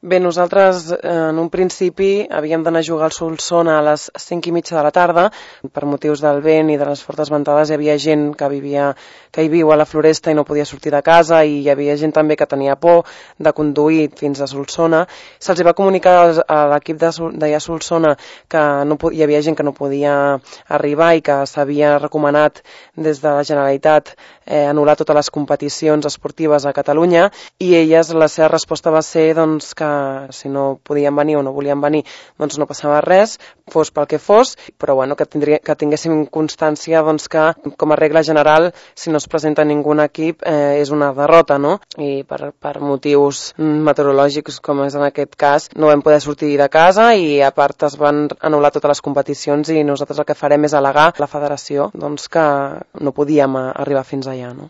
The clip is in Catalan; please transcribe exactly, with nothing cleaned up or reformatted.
Bé, nosaltres en un principi havíem d'anar a jugar al Solsona a les cinc i mitja de la tarda. Per motius del vent i de les fortes ventades hi havia gent que vivia, que hi viu a la Floresta i no podia sortir de casa, i hi havia gent també que tenia por de conduir fins a Solsona. Se'ls va comunicar a l'equip d'allà a Solsona que no, hi havia gent que no podia arribar i que s'havia recomanat des de la Generalitat eh, anul·lar totes les competicions esportives a Catalunya, i elles, la seva resposta va ser doncs, que si no podien venir o no volien venir, doncs no passava res, fos pel que fos, però bueno, que, tindria, que tinguéssim constància doncs, que, com a regla general, si no es presenta ningú equip, eh, és una derrota, no? I per, per motius meteorològics, com és en aquest cas, no vam poder sortir de casa, i a part es van anul·lar totes les competicions, i nosaltres el que farem és al·legar a la federació doncs, que no podíem arribar fins allà, no?